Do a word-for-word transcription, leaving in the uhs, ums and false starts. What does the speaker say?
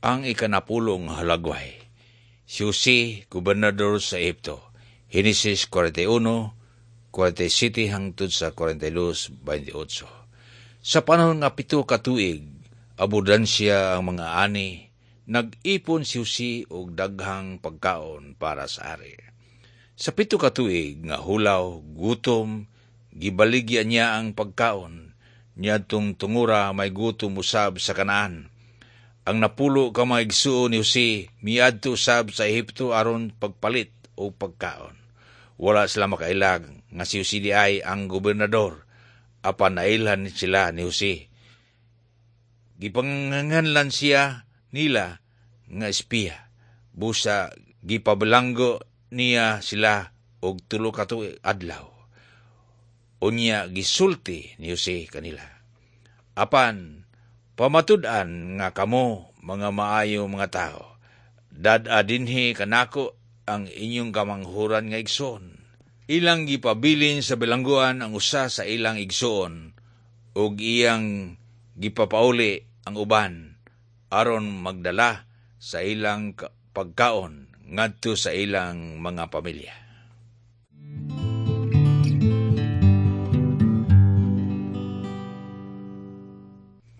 Ang ikanapulong halagway. Si Jose, gobernador sa Ehipto. Henesis kwarenta y uno, kwarenta y siyete hangtod sa kwarenta y dos, beinte y otso. Sa panahon nga pito ka tuig, abundansya ang mga ani, nag-ipon si Jose og daghang pagkaon para sa ari. Sa pito ka tuig nga hulaw, gutom, gibaligya niya ang pagkaon. Niadtong tungura may gutom usab sa Kanaan. Ang napulo ka mga igsuon ni Jose miadto usab sa Ehipto aron pagpalit og pagkaon. Wala sila makaila nga si Jose diay ang gobernador, apan nailhan sila ni Jose. Gipanganlan siya nila nga espiya. Busa gipabilanggo niya sila og tulo ka tuig adlaw. Unya gisulti ni Jose kanila: "Apan pamatud-an nga kamo mga maayo mga tao. Dad-a dinhi kanako ang inyong kamanghuran nga igsoon." Ilang gipabilin sa bilangguan ang usa sa ilang igsoon ug iyang gipapauli ang uban aron magdala sa ilang pagkaon ngadto sa ilang mga pamilya.